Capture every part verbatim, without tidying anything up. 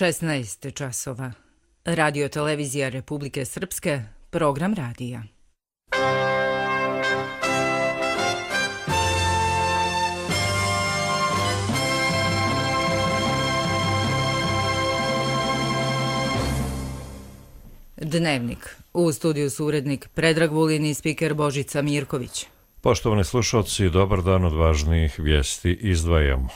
šesnaest časova. Radio televizija Republike Srpske, program radija. Dnevnik. U studiju su urednik Predrag Vulin i spiker Božica Mirković. Poštovani slušalci, dobar dan, od važnijih vijesti izdvajamo.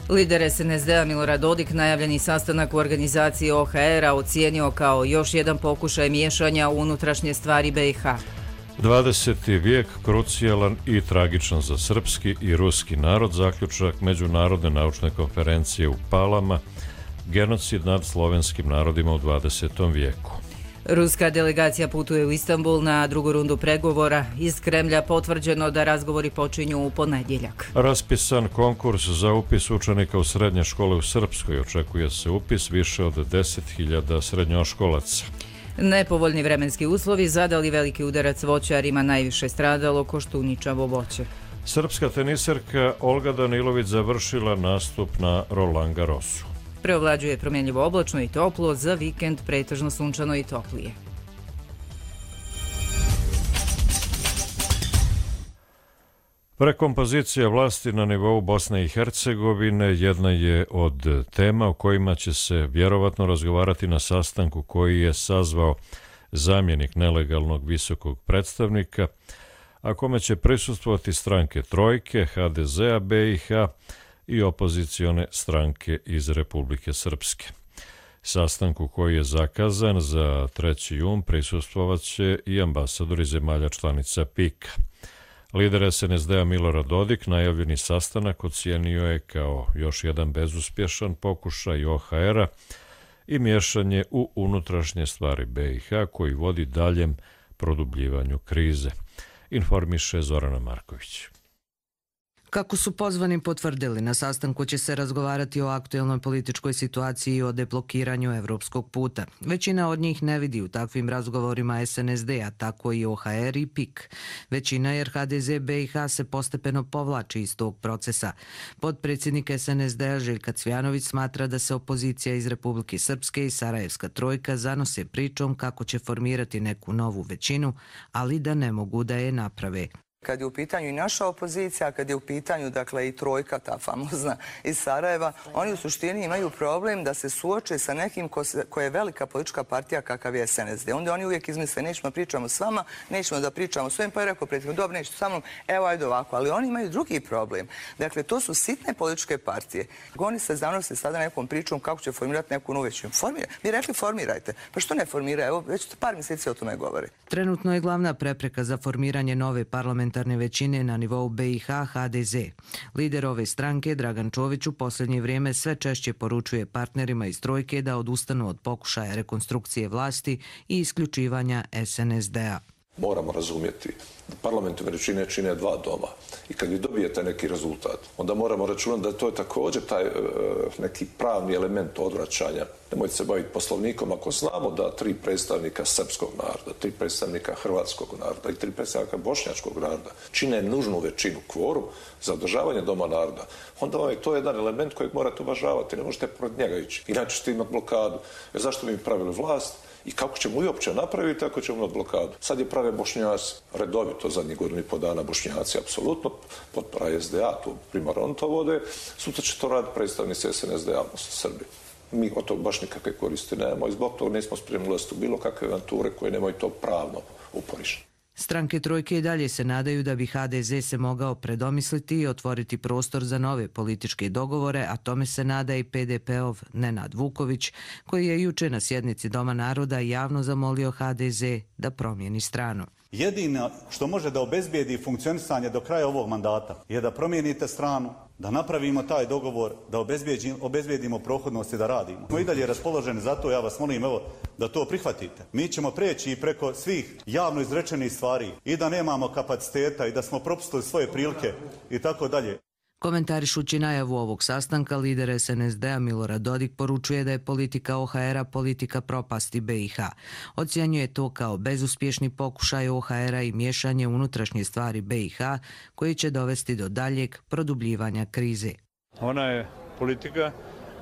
Lider es en es de a Milorad Dodik najavljeni sastanak u organizaciji o ha er a ocijenio kao još jedan pokušaj miješanja u unutrašnje stvari be i ha. dvadeseti vijek krucijalan i tragičan za srpski i ruski narod, zaključak Međunarodne naučne konferencije u Palama, genocid nad slovenskim narodima u dvadesetom vijeku. Ruska delegacija putuje u Istanbul na drugu rundu pregovora. Iz Kremlja potvrđeno da razgovori počinju u ponedjeljak. Raspisan konkurs za upis učenika u srednje škole u Srpskoj. Očekuje se upis više od deset hiljada srednjoškolaca. Nepovoljni vremenski uslovi zadali veliki udarac voćarima, najviše stradalo koštuničavo voće. Srpska teniserka Olga Danilović završila nastup na Roland Garrosu. Preovlađuje promjenljivo oblačno i toplo, za vikend pretežno sunčano i toplije. Prekompozicija vlasti na nivou Bosne i Hercegovine jedna je od tema o kojima će se vjerovatno razgovarati na sastanku koji je sazvao zamjenik nelegalnog visokog predstavnika, a kome će prisustvovati stranke Trojke, ha de ze a be i ha i opozicione stranke iz Republike Srpske. Sastanku koji je zakazan za treći jun prisustvovat će i ambasadori zemalja članica pika. Lider es en es de a Milorad Dodik najavljeni sastanak ocijenio je kao još jedan bezuspješan pokušaj o ha er a i miješanje u unutrašnje stvari be i ha koji vodi daljem produbljivanju krize, informiše Zorana Marković. Kako su pozvani potvrdili, na sastanku će se razgovarati o aktuelnoj političkoj situaciji i o deblokiranju evropskog puta. Većina od njih ne vidi u takvim razgovorima es en es de a, tako i o ha er i pik. Većina jer ha de ze be i ha se postepeno povlači iz tog procesa. Potpredsjednik es en es de a Željka Cvjanović smatra da se opozicija iz Republike Srpske i Sarajevska trojka zanose pričom kako će formirati neku novu većinu, ali da ne mogu da je naprave. Kad je u pitanju i naša opozicija, kad je u pitanju dakle i trojka, ta famozna iz Sarajeva, oni u suštini imaju problem da se suoče sa nekim ko, se, ko je velika politička partija kakav je es en es de. Onda oni uvijek izmisle, nećemo pričamo s vama, nećemo da pričamo s ovim, pa je rekao predsjednik, dobro, nećete sa mnom, evo ajde ovako, ali oni imaju drugi problem. Dakle, to su sitne političke partije. Oni se zanose sada nekom pričom kako će formirati neku novu većinu. Formira. Mi rekli formirajte, pa što ne formira? Evo, već par mjeseci o tome govori. Trenutno je glavna prepreka za formiranje nove parlamentarne većine na nivou be i ha ha de ze. Lider ove stranke, Dragan Čović, u posljednje vrijeme sve češće poručuje partnerima iz trojke da odustanu od pokušaja rekonstrukcije vlasti i isključivanja es en es de a. Moramo razumjeti da parlamentarne većine čine dva doma i kad vi dobijete neki rezultat, onda moramo računati da to je također taj e, neki pravni element odvraćanja. Nemojte se baviti poslovnikom ako znamo da tri predstavnika srpskog naroda, tri predstavnika hrvatskog naroda i tri predstavnika bošnjačkog naroda čine nužnu većinu, kvorum za održavanje doma naroda, onda vam je to jedan element kojeg morate uvažavati, ne možete protiv njega ići. Inače ćete imati blokadu. Jer zašto bi mi pravili vlast? I kako ćemo uopće napraviti, tako ćemo imati blokadu. Sad je prave Bošnjaci, redovito zadnjih godinu i po dana Bošnjaci, apsolutno, potpora es de a, tu primarno on to vode, sutra će to raditi predstavnici es en es de a, odnosno Srbi. Mi od tog baš nikakve koristi nemamo i zbog toga nismo spremni ulaziti u bilo kakve avanture koje nemaju to pravno uporište. Stranke trojke i dalje se nadaju da bi ha de ze se mogao predomisliti i otvoriti prostor za nove političke dogovore, a tome se nada i pe de pe-ov Nenad Vuković, koji je juče na sjednici Doma naroda javno zamolio ha de ze da promijeni stranu. Jedino što može da obezbijedi funkcionisanje do kraja ovog mandata je da promijenite stranu, da napravimo taj dogovor, da obezbijedimo prohodnost i da radimo. Smo i dalje raspoloženi, zato ja vas molim evo, da to prihvatite. Mi ćemo preći i preko svih javno izrečenih stvari i da nemamo kapaciteta i da smo propustili svoje prilike i tako dalje. Komentarišući najavu ovog sastanka, lider es en es de a Milorad Dodik poručuje da je politika o ha er a politika propasti be i ha. Ocjenjuje to kao bezuspješni pokušaj o ha er a i miješanje unutrašnje stvari be i ha koji će dovesti do daljeg produbljivanja krize. Ona je politika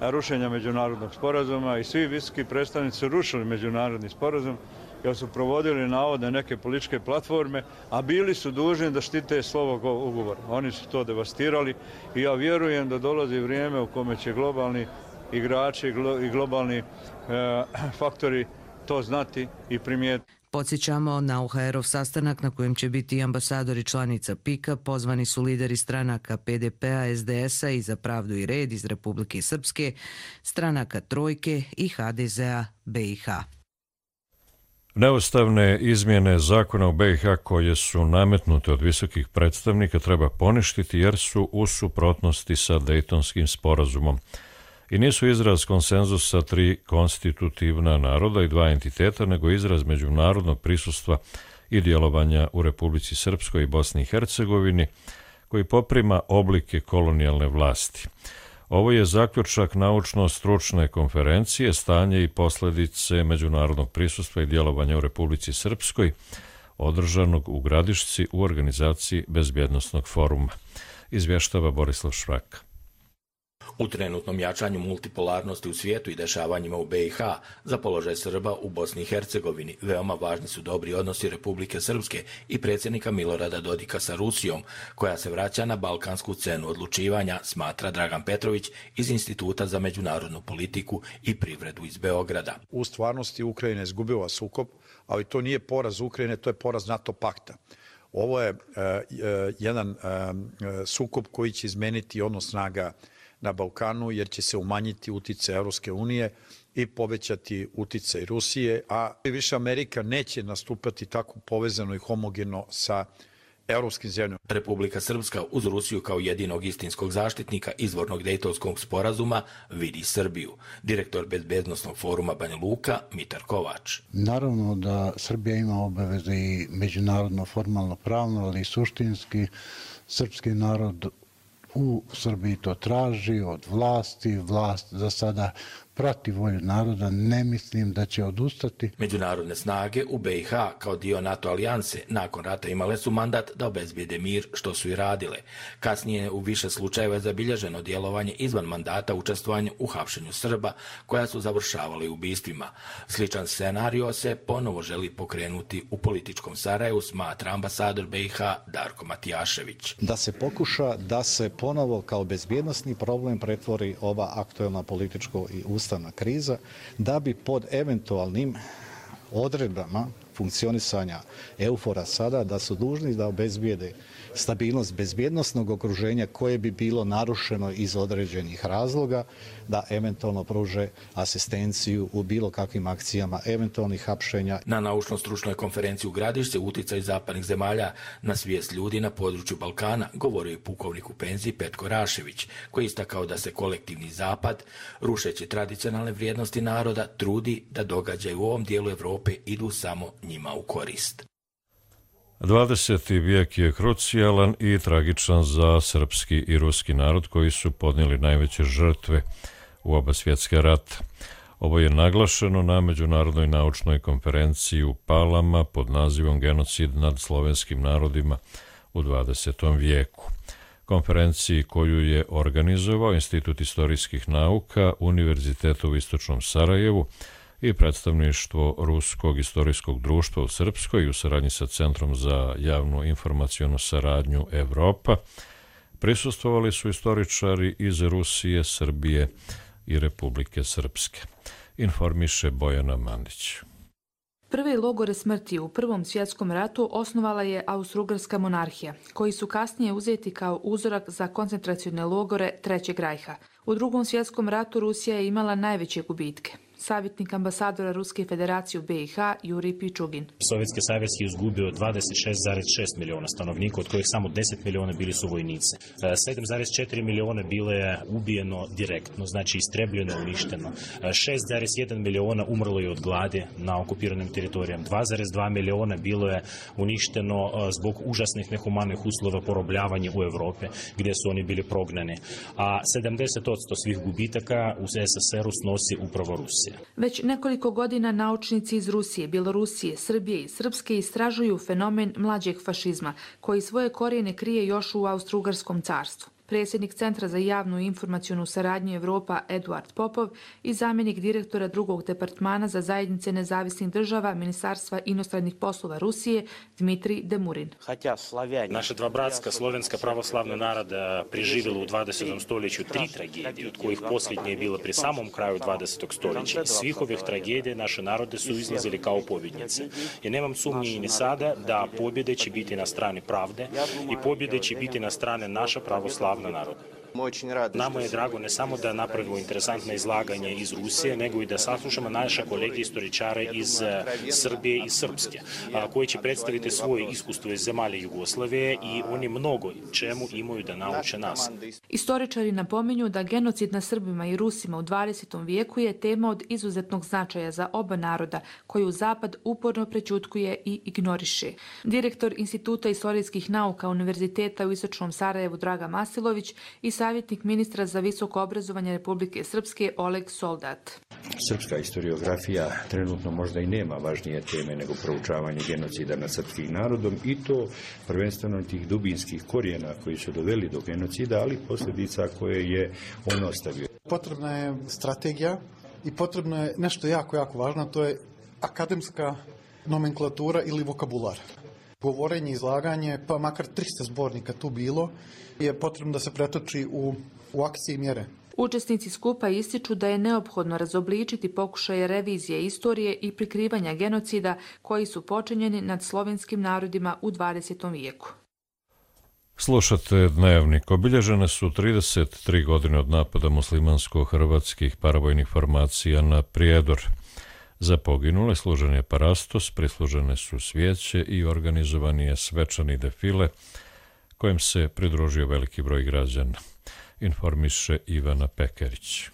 rušenja međunarodnog sporazuma i svi visoki predstavnici su rušili međunarodni sporazum jer su provodili navodne neke političke platforme, a bili su dužni da štite slovo ugovora. Oni su to devastirali i ja vjerujem da dolazi vrijeme u kome će globalni igrači i globalni e, faktori to znati i primijetiti. Podsjećamo na O H R-ov sastanak na kojem će biti ambasadori članica P I K-a, pozvani su lideri stranaka P D P-a, S D S-a i Za pravdu i red iz Republike Srpske, stranaka Trojke i H D Z-a B i H. Neustavne izmjene zakona u B i H koje su nametnute od visokih predstavnika treba poništiti jer su u suprotnosti sa Dejtonskim sporazumom i nisu izraz konsenzusa tri konstitutivna naroda i dva entiteta, nego izraz međunarodnog prisustva i djelovanja u Republici Srpskoj i Bosni i Hercegovini, koji poprima oblike kolonijalne vlasti. Ovo je zaključak naučno-stručne konferencije Stanje i posljedice međunarodnog prisustva i djelovanja u Republici Srpskoj, održanog u Gradišci u organizaciji Bezbjednosnog foruma. Izvještava Borislav Švraka. U trenutnom jačanju multipolarnosti u svijetu i dešavanjima u B i H za položaj Srba u Bosni i Hercegovini veoma važni su dobri odnosi Republike Srpske i predsjednika Milorada Dodika sa Rusijom, koja se vraća na balkansku scenu odlučivanja, smatra Dragan Petrović iz Instituta za međunarodnu politiku i privredu iz Beograda. U stvarnosti Ukrajina je izgubila sukob, ali to nije poraz Ukrajine, to je poraz NATO pakta. Ovo je uh, uh, jedan uh, sukob koji će izmeniti odnos snaga na Balkanu, jer će se umanjiti uticaj Europske unije i povećati uticaj Rusije, a više Amerika neće nastupati tako povezano i homogeno sa europskim zemljama. Republika Srpska uz Rusiju kao jedinog istinskog zaštitnika izvornog Dejtonskog sporazuma vidi Srbiju. Direktor Bezbjednosnog foruma Banja Luka, Mitar Kovač. Naravno da Srbija ima obaveze i međunarodno, formalno, pravno, ali i suštinski. Srpski narod u Srbiji to traži od vlasti, vlast za sada prati volju naroda, ne mislim da će odustati. Međunarodne snage u B i H kao dio NATO alijanse nakon rata imale su mandat da obezbijede mir, što su i radile. Kasnije u više slučajeva je zabilježeno djelovanje izvan mandata učestvovanja u hapšenju Srba, koja su završavali ubistvima. Sličan scenario se ponovo želi pokrenuti u političkom Sarajevu, smatra ambasador B i H Darko Matijašević. Da se pokuša da se ponovo kao bezbjednosni problem pretvori ova aktuelna političko i ustavna kriza, da bi pod eventualnim odredbama funkcionisanja EUFOR-a sada da su dužni da obezbijede stabilnost bezbjednosnog okruženja koje bi bilo narušeno iz određenih razloga, da eventualno pruže asistenciju u bilo kakvim akcijama eventualnih hapšenja. Na naučno-stručnoj konferenciji u Gradišci uticaj zapadnih zemalja na svijest ljudi na području Balkana govorio je pukovnik u penziji Petko Rašević, koji je istakao da se kolektivni zapad, rušeći tradicionalne vrijednosti naroda, trudi da događaje u ovom dijelu Evrope idu samo njima u korist. dvadeseti vijek je krucijalan i tragičan za srpski i ruski narod koji su podnijeli najveće žrtve u oba svjetska rata. Ovo je naglašeno na Međunarodnoj naučnoj konferenciji u Palama pod nazivom Genocid nad slovenskim narodima u dvadesetom vijeku. Konferenciji koju je organizovao Institut istorijskih nauka Univerziteta u Istočnom Sarajevu i predstavništvo Ruskog istorijskog društva u Srpskoj u saradnji sa Centrom za javnu informacionu saradnju Evropa, prisustvovali su istoričari iz Rusije, Srbije i Republike Srpske. Informiše Bojana Mandić. Prve logore smrti u Prvom svjetskom ratu osnovala je Austro-Ugarska monarhija, koji su kasnije uzeti kao uzorak za koncentracione logore Trećeg rajha. U Drugom svjetskom ratu Rusija je imala najveće gubitke. Savjetnik ambasadora Ruske federacije u B i H Jurij Pičugin. Sovjetski savez je izgubio dvadeset šest zarez šest miliona stanovnika, od kojih samo deset miliona bili su vojnici. sedam zarez četiri miliona bilo je ubijeno direktno, znači istrebljeno, uništeno. šest zarez jedan miliona umrlo je od gladi na okupiranim teritorijama. dva zarez dva miliona bilo je uništeno zbog užasnih nehumanih uslova porobljavanja u Evropi, gdje su oni bili prognani. A sedamdeset posto svih gubitaka u S S R-u snosi upravo Rusija. Već nekoliko godina naučnici iz Rusije, Bjelorusije, Srbije i Srpske istražuju fenomen mlađeg fašizma, koji svoje korijene krije još u Austro-Ugarskom carstvu. Predsjednik Centra za javnu i informacionu saradnju Evropa Eduard Popov i zamjenik direktora drugog departmana za zajednice nezavisnih država Ministarstva inostranih poslova Rusije Dmitrij Demurin. Naša dva bratska slovenska pravoslavna naroda preživjela u dvadesetom stoljeću tri tragedije, od kojih posljednje je bila pri samom kraju dvadesetog stoljeća. Iz svih ovih tragedija naše narode su izlazili kao pobjednice. I nemam sumnji ni sada da pobjede će biti na strani pravde i pobjede će biti na strane naša pravoslavna naroda. Nama je drago ne samo da napravimo interesantne izlaganje iz Rusije, nego i da saslušamo naše kolege istoričare iz Srbije i Srpske, koji će predstaviti svoje iskustvo iz zemalja Jugoslavije i oni mnogo čemu imaju da nauče nas. Istoričari napominju da genocid na Srbima i Rusima u dvadesetom vijeku je tema od izuzetnog značaja za oba naroda, koju Zapad uporno prećutkuje i ignoriše. Direktor Instituta istorijskih nauka Univerziteta u Istočnom Sarajevu Draga Masilović i savjetnik ministra za visoko obrazovanje Republike Srpske Oleg Soldat. Srpska historiografija trenutno možda i nema važnije teme nego proučavanje genocida nad srpskim narodom i to prvenstveno tih dubinskih korijena koji su doveli do genocida, ali posljedica koje je on ostavio. Potrebna je strategija i potrebno je nešto jako, jako važno, to je akademska nomenklatura ili vokabular. Govorenje, izlaganje, pa makar tristo zbornika tu bilo, je potrebno da se pretoči u, u akcije i mjere. Učesnici skupa ističu da je neophodno razobličiti pokušaje revizije istorije i prikrivanja genocida koji su počinjeni nad slovenskim narodima u dvadesetom vijeku. Slušate Dnevnik. Obilježene su trideset tri godine od napada muslimansko-hrvatskih paravojnih formacija na Prijedor. Za poginule služen je parastos, prislužene su svijeće i organizovan je svečani defile kojem se pridružio veliki broj građana, informiše Ivana Pekarić.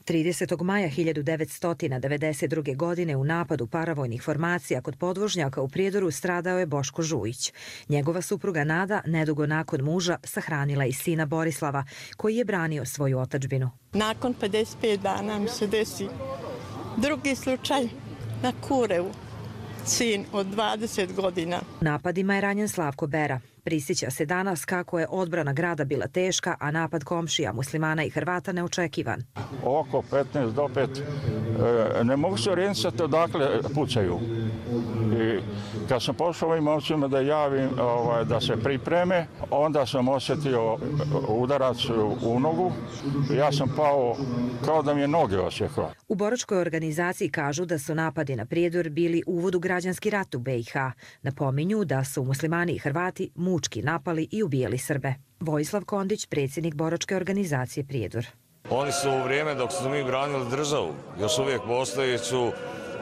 tridesetog maja hiljadu devetsto devedeset druge. godine u napadu paravojnih formacija kod podvožnjaka u Prijedoru stradao je Boško Žujić. Njegova supruga Nada, nedugo nakon muža, sahranila i sina Borislava, koji je branio svoju otadžbinu. Nakon pedeset pet dana mi se desi drugi slučaj na Kurevu, sin od dvadeset godina. Napadima je ranjen Slavko Bera. Prisjeća se danas kako je odbrana grada bila teška, a napad komšija muslimana i Hrvata neočekivan. Oko petnaest do pet. Ne mogu se orijentisati odakle pucaju. I kad sam pošao ovim momcima da javim ovaj, da se pripreme, onda sam osjetio udarac u nogu. Ja sam pao kao da mi je noge osjekla. U Boročkoj organizaciji kažu da su napadi na Prijedor bili uvod u građanski rat u be i ha. Napominju da su muslimani i Hrvati mučki napali i ubijali Srbe. Vojislav Kondić, predsjednik Boročke organizacije Prijedor. Oni su u vrijeme dok su mi branili državu, još uvijek postojeću,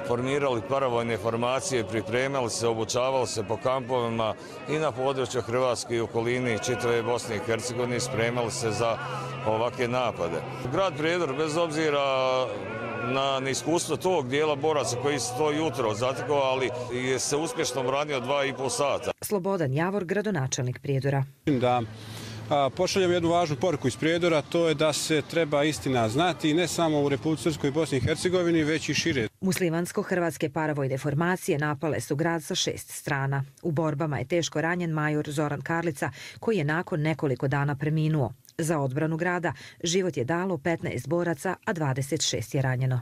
formirali paravojne formacije, pripremali se, obučavali se po kampovima i na području Hrvatske i okolini čitave Bosne i Hercegovine, spremali se za ovakve napade. Grad Prijedor, bez obzira na neiskustvo tog dijela boraca koji su to jutro zatekao, ali je se uspješno branio dva i pol sata. Slobodan Javor, gradonačelnik Prijedora. Da pošaljam jednu važnu poruku iz Prijedora, to je da se treba istina znati ne samo u Republici Srpskoj i Bosni i Hercegovini, već i šire. Muslimansko-hrvatske paravojne formacije napale su grad sa šest strana. U borbama je teško ranjen major Zoran Karlica, koji je nakon nekoliko dana preminuo. Za odbranu grada život je dalo petnaest boraca, a dvadeset šest je ranjeno.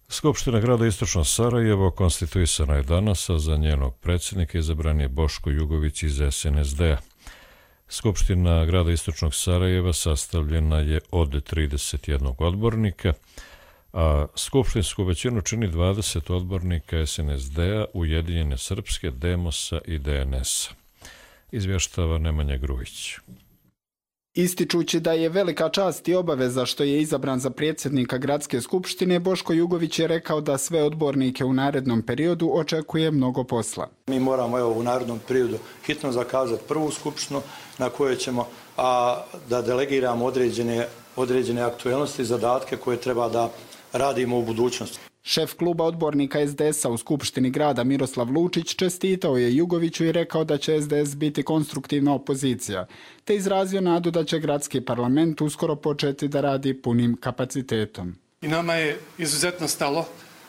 Skupština grada Istočno Sarajevo konstituisana je danas, a za njenog predsjednika izabran je Boško Jugović iz es en es de a. Skupština grada Istočnog Sarajeva sastavljena je od trideset jednog odbornika, a skupštinsku većinu čini dvadeset odbornika es en es de a, Ujedinjene Srpske, Demosa i de en es a. Izvještava Nemanja Grujić. Ističući da je velika čast i obaveza što je izabran za predsjednika Gradske skupštine, Boško Jugović je rekao da sve odbornike u narednom periodu očekuje mnogo posla. Mi moramo evo, u narednom periodu hitno zakazati prvu skupštinu na kojoj ćemo a, da delegiramo određene, određene aktualnosti i zadatke koje treba da radimo u budućnosti. Šef kluba odbornika es de es a u Skupštini grada Miroslav Lučić čestitao je Jugoviću i rekao da će es de es biti konstruktivna opozicija, te izrazio nadu da će gradski parlament uskoro početi da radi punim kapacitetom. I nama je izuzetno stalo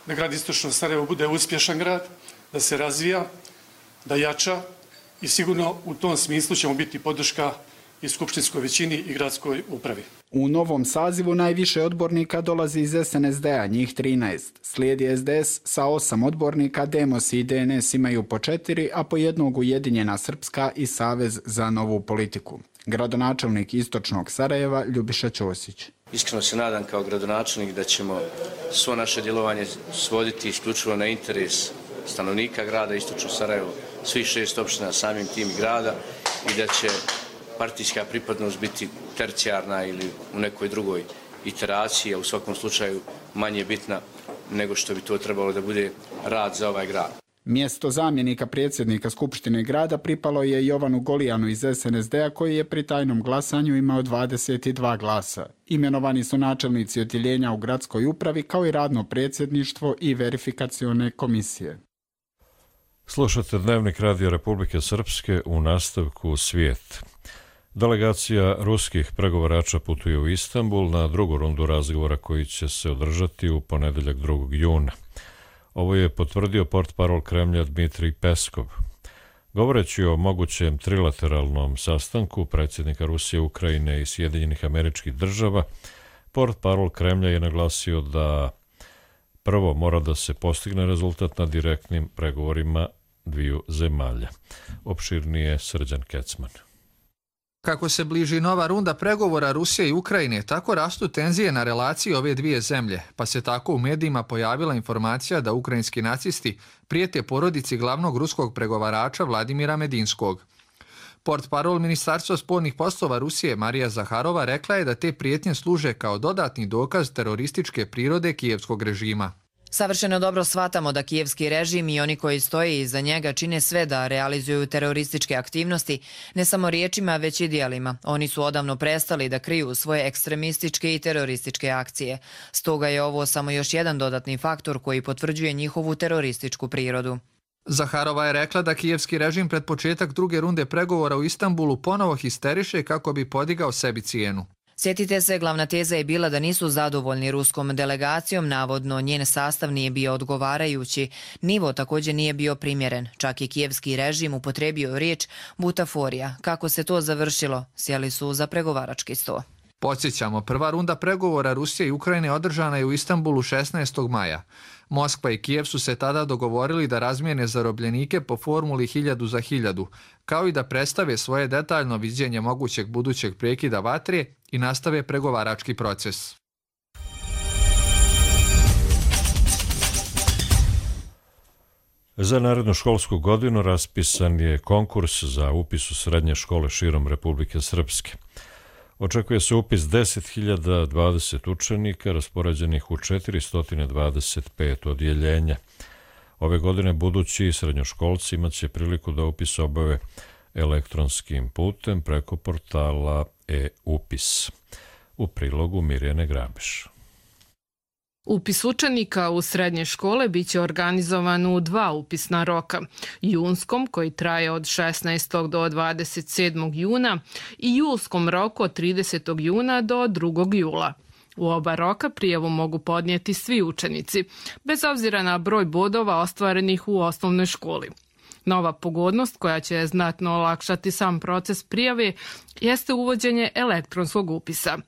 da grad Istočno Sarajevo bude uspješan grad, da se razvija, da jača i sigurno u tom smislu ćemo biti podrška i skupštinskoj većini i gradskoj upravi. U novom sazivu najviše odbornika dolazi iz S N S D-a, njih trinaest. Slijedi S D S sa osam odbornika, Demos i D N S imaju po četiri, a po jednog Ujedinjena Srpska i Savez za novu politiku. Gradonačelnik Istočnog Sarajeva Ljubiša Ćosić. Iskreno se nadam kao gradonačelnik da ćemo svo naše djelovanje svoditi isključivo na interes stanovnika grada Istočno Sarajevo, svih šest opština, samim tim grada, i da će partijska pripadnost biti tercijarna ili u nekoj drugoj iteraciji, a u svakom slučaju manje bitna nego što bi to trebalo da bude rad za ovaj grad. Mjesto zamjenika predsjednika Skupštine grada pripalo je Jovanu Golijanu iz S N S D-a koji je pri tajnom glasanju imao dvadeset dva glasa. Imenovani su načelnici odjeljenja u gradskoj upravi kao i radno predsjedništvo i verifikacione komisije. Slušate Dnevnik Radio Republike Srpske, u nastavku Svijet. Delegacija ruskih pregovarača putuje u Istanbul na drugu rundu razgovora koji će se održati u ponedeljak drugog juna. Ovo je potvrdio portparol Kremlja Dmitrij Peskov. Govoreći o mogućem trilateralnom sastanku predsjednika Rusije, Ukrajine i Sjedinjenih Američkih Država, portparol Kremlja je naglasio da prvo mora da se postigne rezultat na direktnim pregovorima dviju zemalja. Opširnije Srđan Kecman. Kako se bliži nova runda pregovora Rusije i Ukrajine, tako rastu tenzije na relaciji ove dvije zemlje, pa se tako u medijima pojavila informacija da ukrajinski nacisti prijete porodici glavnog ruskog pregovarača Vladimira Medinskog. Portparol Ministarstva spoljnih poslova Rusije Marija Zaharova rekla je da te prijetnje služe kao dodatni dokaz terorističke prirode kijevskog režima. Savršeno dobro shvatamo da kijevski režim i oni koji stoje iza njega čine sve da realizuju terorističke aktivnosti, ne samo riječima, već i djelima. Oni su odavno prestali da kriju svoje ekstremističke i terorističke akcije. Stoga je ovo samo još jedan dodatni faktor koji potvrđuje njihovu terorističku prirodu. Zaharova je rekla da kijevski režim pred početak druge runde pregovora u Istanbulu ponovo histeriše kako bi podigao sebi cijenu. Sjetite se, glavna teza je bila da nisu zadovoljni ruskom delegacijom, navodno njen sastav nije bio odgovarajući, nivo također nije bio primjeren, čak i kijevski režim upotrebio riječ butaforija. Kako se to završilo? Sjeli su za pregovarački sto. Podsjećamo, prva runda pregovora Rusije i Ukrajine održana je u Istanbulu šesnaestog maja. Moskva i Kijev su se tada dogovorili da razmijene zarobljenike po formuli hiljadu za hiljadu, kao i da predstave svoje detaljno viđenje mogućeg budućeg prekida vatre i nastave pregovarački proces. Za narednu školsku godinu raspisan je konkurs za upis u srednje škole širom Republike Srpske. Očekuje se upis deset hiljada dvadeset učenika raspoređenih u četiristo dvadeset pet odjeljenja. Ove godine budući srednjoškolci imaće priliku da upis obave elektronskim putem preko portala e-upis. U prilogu Mirjane Grabiš. Upis učenika u srednje škole biće organizovan u dva upisna roka, junskom koji traje od šesnaestog do dvadeset sedmog juna i julskom roku od tridesetog juna do drugog jula. U oba roka prijavu mogu podnijeti svi učenici, bez obzira na broj bodova ostvarenih u osnovnoj školi. Nova pogodnost koja će znatno olakšati sam proces prijave jeste uvođenje elektronskog upisa.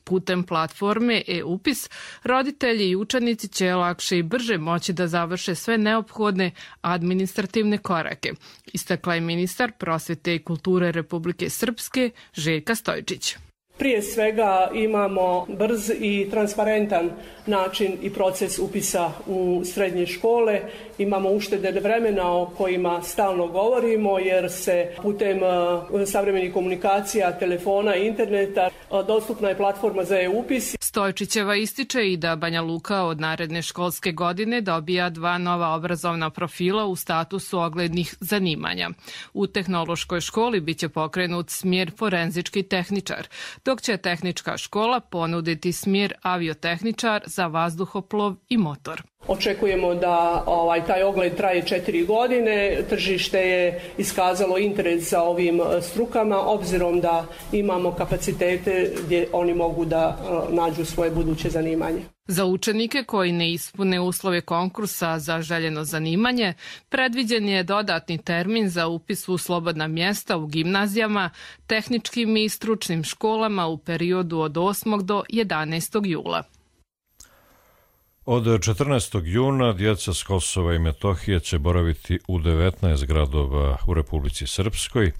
Putem platforme e-upis, roditelji i učenici će lakše i brže moći da završe sve neophodne administrativne korake, istakla je ministar prosvete i kulture Republike Srpske Željka Stojčić. Prije svega imamo brz i transparentan način i proces upisa u srednje škole. Imamo uštede vremena o kojima stalno govorimo jer se putem savremenih komunikacija, telefona i interneta dostupna je platforma za e-upis. Stojčićeva ističe i da Banja Luka od naredne školske godine dobija dva nova obrazovna profila u statusu oglednih zanimanja. U tehnološkoj školi biće pokrenut smjer forenzički tehničar, dok će tehnička škola ponuditi smjer aviotehničar za vazduhoplov i motor. Očekujemo da ovaj, taj ogled traje četiri godine. Tržište je iskazalo interes za ovim strukama, obzirom da imamo kapacitete gdje oni mogu da nađu svoje buduće zanimanje. Za učenike koji ne ispune uslove konkursa za željeno zanimanje, predviđen je dodatni termin za upis u slobodna mjesta u gimnazijama, tehničkim i stručnim školama u periodu od osmog do jedanaestog jula. Od četrnaestog juna djeca s Kosova i Metohije će boraviti u devetnaest gradova u Republici Srpskoj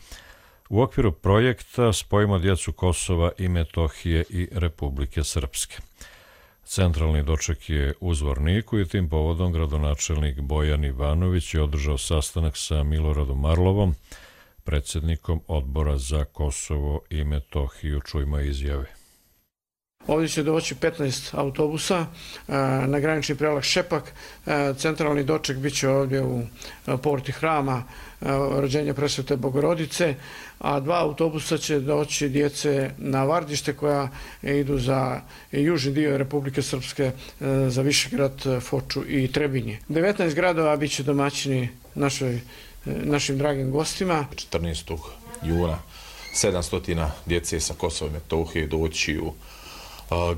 u okviru projekta Spojimo djecu Kosova i Metohije i Republike Srpske. Centralni doček je u Zvorniku i tim povodom gradonačelnik Bojan Ivanović je održao sastanak sa Miloradom Marlovom, predsjednikom Odbora za Kosovo i Metohiju. Čujmo izjave. Ovdje će doći petnaest autobusa na granični prelaz Šepak. Centralni doček bit će ovdje u porti hrama Rođenja Presvete Bogorodice, a dva autobusa će doći djece na Vardište koja idu za južni dio Republike Srpske, za Višegrad, Foču i Trebinje. devetnaest gradova bit će domaćini našoj, našim dragim gostima. četrnaestog juna sedamsto djece sa Kosova i Metohije doći u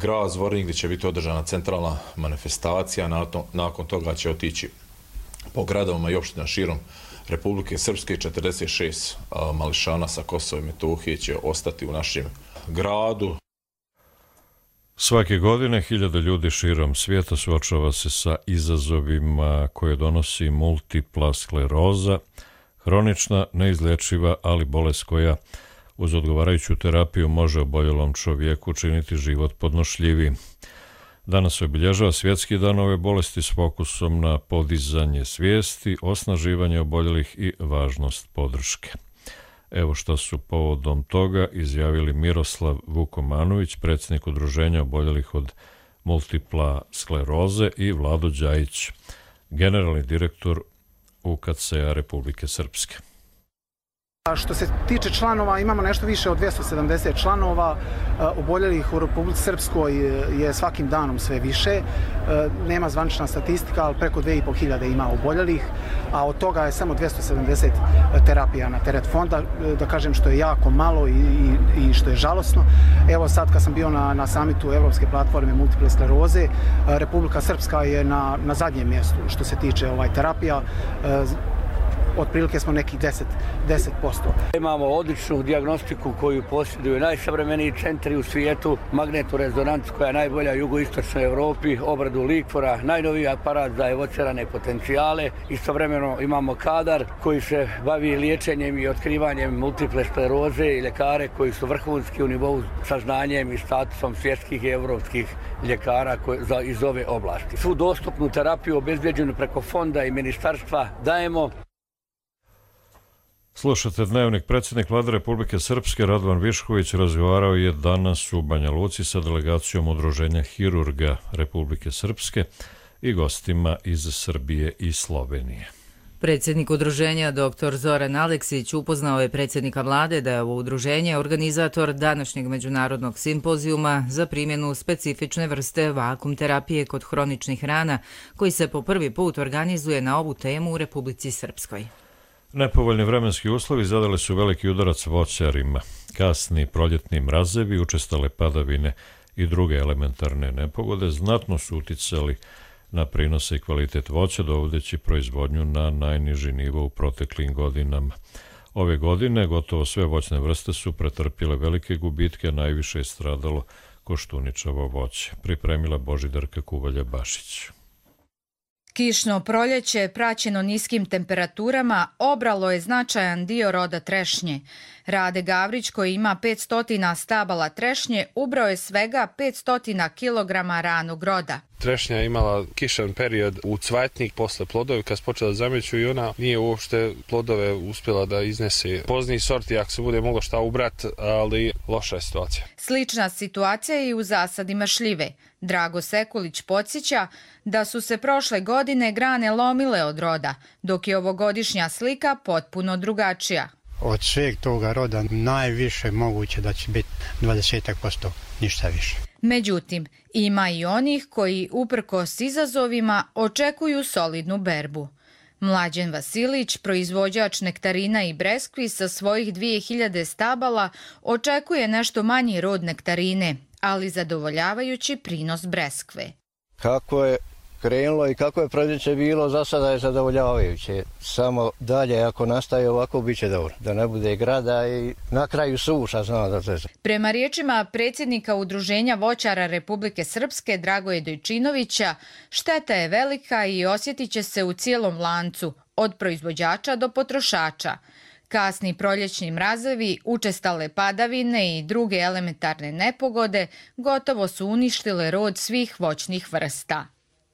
grad Zvornik gdje će biti održana centralna manifestacija. Nakon toga će otići po gradovima i opština širom Republike Srpske. četrdeset šest mališana sa Kosova i Metohije će ostati u našem gradu. Svake godine hiljade ljudi širom svijeta suočava se sa izazovima koje donosi multipla skleroza, hronična, neizlečiva, ali bolest koja uz odgovarajuću terapiju može oboljelom čovjeku učiniti život podnošljivijim. Danas se obilježava Svjetski dan ove bolesti s fokusom na podizanje svijesti, osnaživanje oboljelih i važnost podrške. Evo što su povodom toga izjavili Miroslav Vukomanović, predsjednik Udruženja oboljelih od multipla skleroze, i Vlado Đajić, generalni direktor U K C-a Republike Srpske. Što se tiče članova, imamo nešto više od dvjesto sedamdeset članova. Oboljelih u Republici Srpskoj je svakim danom sve više. Nema zvanična statistika, ali preko dvije i pol hiljade ima oboljelih, a od toga je samo dvjesto sedamdeset terapija na teret fonda, da kažem što je jako malo i, i, i što je žalosno. Evo sad kad sam bio na, na samitu Evropske platforme multiple skleroze, Republika Srpska je na, na zadnjem mjestu što se tiče ovaj terapija. Otprilike smo nekih deset posto. Imamo odličnu dijagnostiku koju posjeduju najsavremeniji centri u svijetu, magnetnu rezonancu koja je najbolja u jugoistočnoj Europi, obradu likvora, najnoviji aparat za evocirane potencijale. Istovremeno imamo kadar koji se bavi liječenjem i otkrivanjem multiple skleroze i ljekare koji su vrhunski u nivou sa znanjem i statusom svjetskih i evropskih ljekara za, iz ove oblasti. Svu dostupnu terapiju obezbeđenu preko fonda i ministarstva dajemo. Slušate Dnevnik. Predsjednik Vlade Republike Srpske Radovan Višković razgovarao je danas u Banja Luci sa delegacijom Udruženja hirurga Republike Srpske i gostima iz Srbije i Slovenije. Predsjednik udruženja doktor Zoran Aleksić upoznao je predsjednika vlade da je ovo udruženje organizator današnjeg međunarodnog simpozijuma za primjenu specifične vrste vakum terapije kod hroničnih rana koji se po prvi put organizuje na ovu temu u Republici Srpskoj. Nepovoljni vremenski uslovi zadali su veliki udarac voćarima. Kasni proljetni mrazevi, učestale padavine i druge elementarne nepogode znatno su uticali na prinose i kvalitet voća, dovodeći proizvodnju na najniži nivo u proteklim godinama. Ove godine gotovo sve voćne vrste su pretrpjele velike gubitke, najviše je stradalo koštuničavo voće. Pripremila Božidarka Kuvalja-Bašić. Kišno proljeće, praćeno niskim temperaturama, obralo je značajan dio roda trešnje. Rade Gavrić, koji ima petsto stabala trešnje, ubrao je svega petsto kilograma ranog roda. Trešnja je imala kišan period u cvatnik posle plodovi, kad se počela zameću i ona nije uopšte plodove uspjela da iznese. Pozniji sorti, ako se bude moglo šta ubrat, ali loša je situacija. Slična situacija je i u zasadima šljive. Drago Sekulić podsjeća da su se prošle godine grane lomile od roda, dok je ovogodišnja slika potpuno drugačija. Od sveg toga roda najviše moguće da će biti dvadeset posto, ništa više. Međutim, ima i onih koji, uprkos izazovima, očekuju solidnu berbu. Mlađen Vasilić, proizvođač nektarina i breskvi sa svojih dvije hiljade stabala, očekuje nešto manji rod nektarine, ali zadovoljavajući prinos breskve. Kako je krenulo i kako je proljeće bilo, za sada je zadovoljavajuće. Samo dalje, ako nastaje ovako, bit će dobro. Da ne bude grada i na kraju suša, znamo da to. Prema riječima predsjednika Udruženja voćara Republike Srpske Dragoje Dojčinovića, šteta je velika i osjetit će se u cijelom lancu, od proizvođača do potrošača. Kasni proljećni mrazevi, učestale padavine i druge elementarne nepogode gotovo su uništile rod svih voćnih vrsta.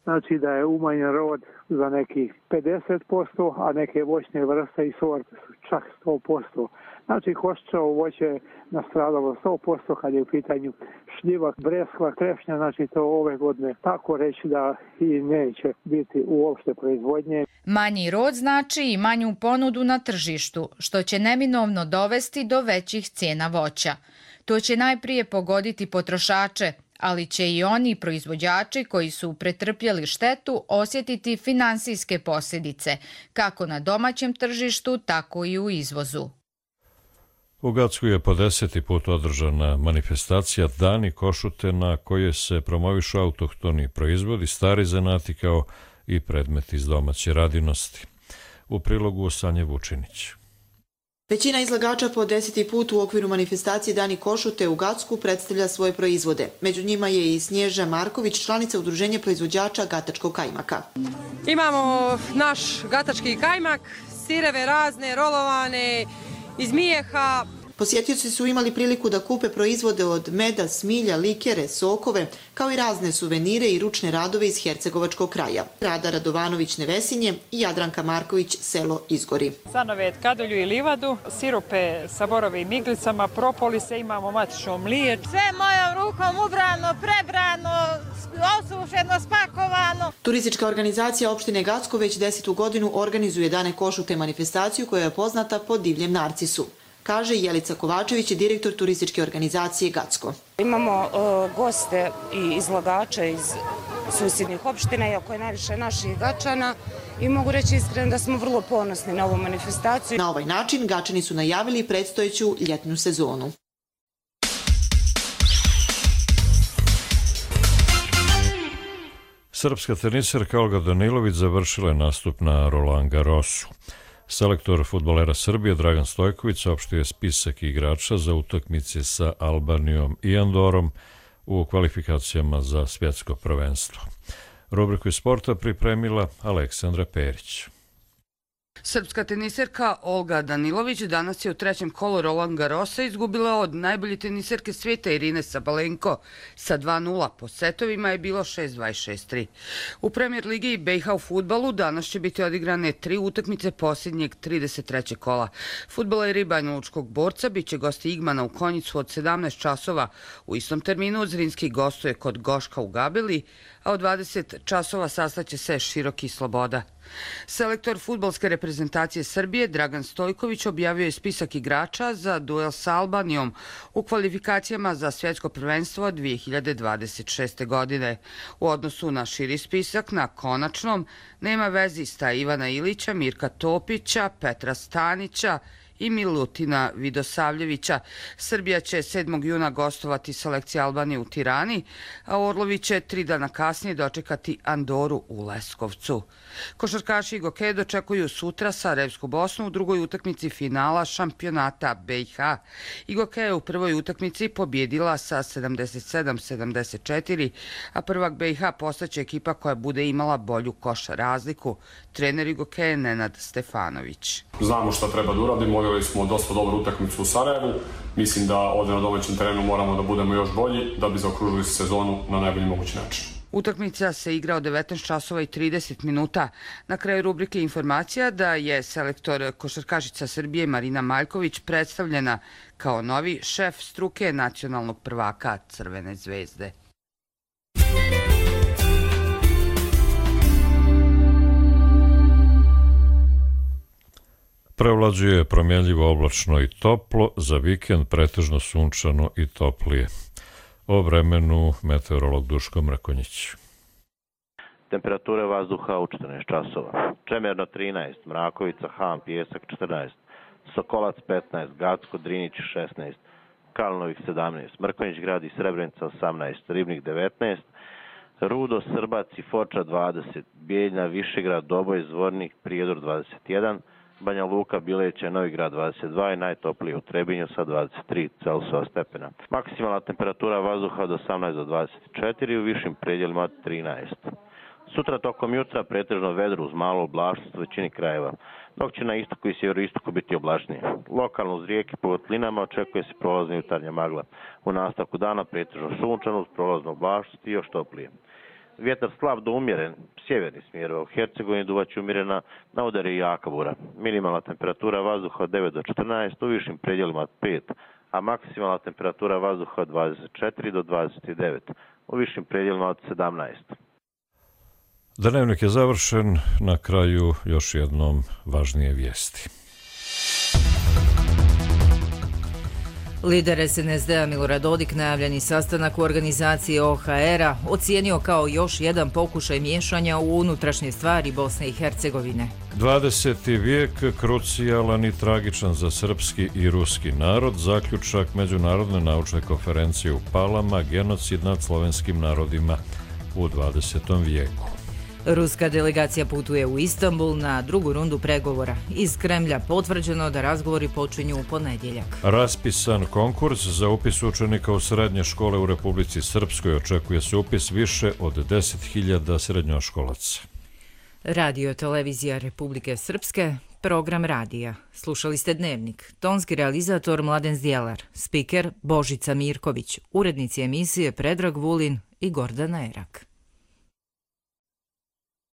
Znači da je umanjen rod za nekih pedeset posto, a neke voćne vrste i sorte su čak sto posto. Znači koščavo voće je nastradalo sto posto kad je u pitanju šljiva, breskva, trešnja, znači to ove godine tako reći da i neće biti uopšte proizvodnje. Manji rod znači i manju ponudu na tržištu, što će neminovno dovesti do većih cijena voća. To će najprije pogoditi potrošače, ali će i oni proizvođači koji su pretrpjeli štetu osjetiti finansijske posljedice, kako na domaćem tržištu, tako i u izvozu. U Gacku je po deseti put održana manifestacija Dani košute na kojoj se promovišu autohtoni proizvodi, stari zanati kao i predmeti iz domaće radinosti. U prilogu Sanje Vučinić. Većina izlagača po deseti put u okviru manifestacije Dani košute u Gacku predstavlja svoje proizvode. Među njima je i Snježa Marković, članica Udruženja proizvođača gatačkog kajmaka. Imamo naš gatački kajmak, sireve razne, rolovane, iz mijeha. Posjetioci su imali priliku da kupe proizvode od meda, smilja, likere, sokove, kao i razne suvenire i ručne radove iz Hercegovačkog kraja. Rada Radovanović Nevesinje i Jadranka Marković selo Izgori. Sanovet, kadulju i livadu, sirupe sa borovim iglicama, propolise, imamo matično mlije. Sve mojom rukom ubrano, prebrano, osušeno, spakovano. Turistička organizacija opštine Gacko već desetu godinu organizuje Dane košute manifestaciju koja je poznata po divljem narcisu, kaže Jelica Kovačević, direktor turističke organizacije Gacko. Imamo uh, goste i izlagača iz susjednih opština, iako je najviše naših Gačana, i mogu reći iskreno da smo vrlo ponosni na ovu manifestaciju. Na ovaj način Gačani su najavili predstojeću ljetnu sezonu. Srpska teniserka Olga Danilović završila je nastup na Roland Garrosu. Selektor fudbalera Srbije Dragan Stojković saopštio je spisak igrača za utakmice sa Albanijom i Andorom u kvalifikacijama za svjetsko prvenstvo. Rubriku iz sporta pripremila Aleksandra Perić. Srpska teniserka Olga Danilović danas je u trećem kolu Roland Garrosa izgubila od najbolje teniserke svijeta Irine Sabalenko. Sa dva nula po setovima je bilo šest dvadeset šest tri. U Premier ligi B i H u fudbalu danas će biti odigrane tri utakmice posljednjeg trideset trećeg kola. Fudbaleri Banjalučkog Borca bit će gosti Igmana u Konjicu od sedamnaest časova. U istom terminu Zrinski gostuje kod Goška u Gabeli, a od dvadeset časova sastaće se Široki Sloboda. Selektor fudbalske reprezentacije Srbije Dragan Stojković objavio je spisak igrača za duel sa Albanijom u kvalifikacijama za svjetsko prvenstvo dvije hiljade dvadeset šeste. godine. U odnosu na širi spisak, na konačnom nema vezista Ivana Ilića, Mirka Topića, Petra Stanića i Milutina Vidosavljevića. Srbija će sedmog juna gostovati selekcija Albanije u Tirani, a Orlović će tri dana kasnije dočekati Andoru u Leskovcu. Košarkaši Igoke dočekuju sutra Sarajevsku Bosnu u drugoj utakmici finala šampionata B i H. Igoke je u prvoj utakmici pobjedila sa sedamdeset sedam sedamdeset četiri, a prvak B i H postaće ekipa koja bude imala bolju koš razliku. Trener Igoke je Nenad Stefanović. Znamo šta treba da uradimo, odigrali smo dosta dobru utakmicu u Sarajevu. Mislim da ovdje na domaćem terenu moramo da budemo još bolji da bi zaokružili sezonu na najbolji mogući način. Utakmica se igra od devetnaest časova i trideset minuta. Na kraju rubrike informacija da je selektor košarkašica Srbije Marina Maljković predstavljena kao novi šef struke nacionalnog prvaka Crvene zvezde. Prevlađuje promjenljivo oblačno i toplo, za vikend pretežno sunčano i toplije. O vremenu meteorolog Duško Mrkonjić. Temperature vazduha u četrnaest časova. Čemerno trinaest, Mrakovica, Han, Pijesak četrnaest, Sokolac petnaest, Gacko, Drinić šesnaest, Kalnovih sedamnaest, Mrkonjić grad i Srebrenica osamnaest, Ribnik devetnaest, Rudo, Srbac i Foča dvadeset, Bijeljna, Višegrad, Doboj, Zvornik, Prijedor dvadeset jedan, Banja Luka, Bileće, Novigrad dvadeset dva i najtoplije u Trebinju sa dvadeset tri Celzijusova stepena. Maksimalna temperatura vazduha od osamnaest do dvadeset četiri, u višim predjelima od trinaest. Sutra tokom jutra pretežno vedro uz malo oblačnost u većini krajeva, dok će na istoku i sjeveroistoku biti oblačnije. Lokalno uz rijeke po votlinama očekuje se prolazna jutarnja magla. U nastavku dana pretežno sunčano uz prolaznu oblačnost i još toplije. Vjetar slab do umjeren, sjeverni smjer u Hercegovini duvaće umjerena, na udari jaka bura. Minimalna temperatura vazduha od devet do četrnaest, u višim predjelima od pet, a maksimalna temperatura vazduha od dvadeset četiri do dvadeset devet, u višim predjelima od sedamnaest. Dnevnik je završen, na kraju još jednom važnije vijesti. Lider S N S D-a Milorad Dodik najavljeni sastanak u organizaciji O H R-a ocijenio kao još jedan pokušaj miješanja u unutrašnje stvari Bosne i Hercegovine. dvadeseti vijek krucijalan i tragičan za srpski i ruski narod, zaključak Međunarodne naučne konferencije u Palama, genocid nad slovenskim narodima u dvadesetom vijeku. Ruska delegacija putuje u Istanbul na drugu rundu pregovora. Iz Kremlja potvrđeno da razgovori počinju u ponedjeljak. Raspisan konkurs za upis učenika u srednje škole u Republici Srpskoj, očekuje se upis više od deset hiljada srednjoškolaca. Radio televizija Republike Srpske, program radija. Slušali ste Dnevnik. Tonski realizator Mladen Zdjelar, spiker Božica Mirković, urednici emisije Predrag Vulin i Gordana Erak.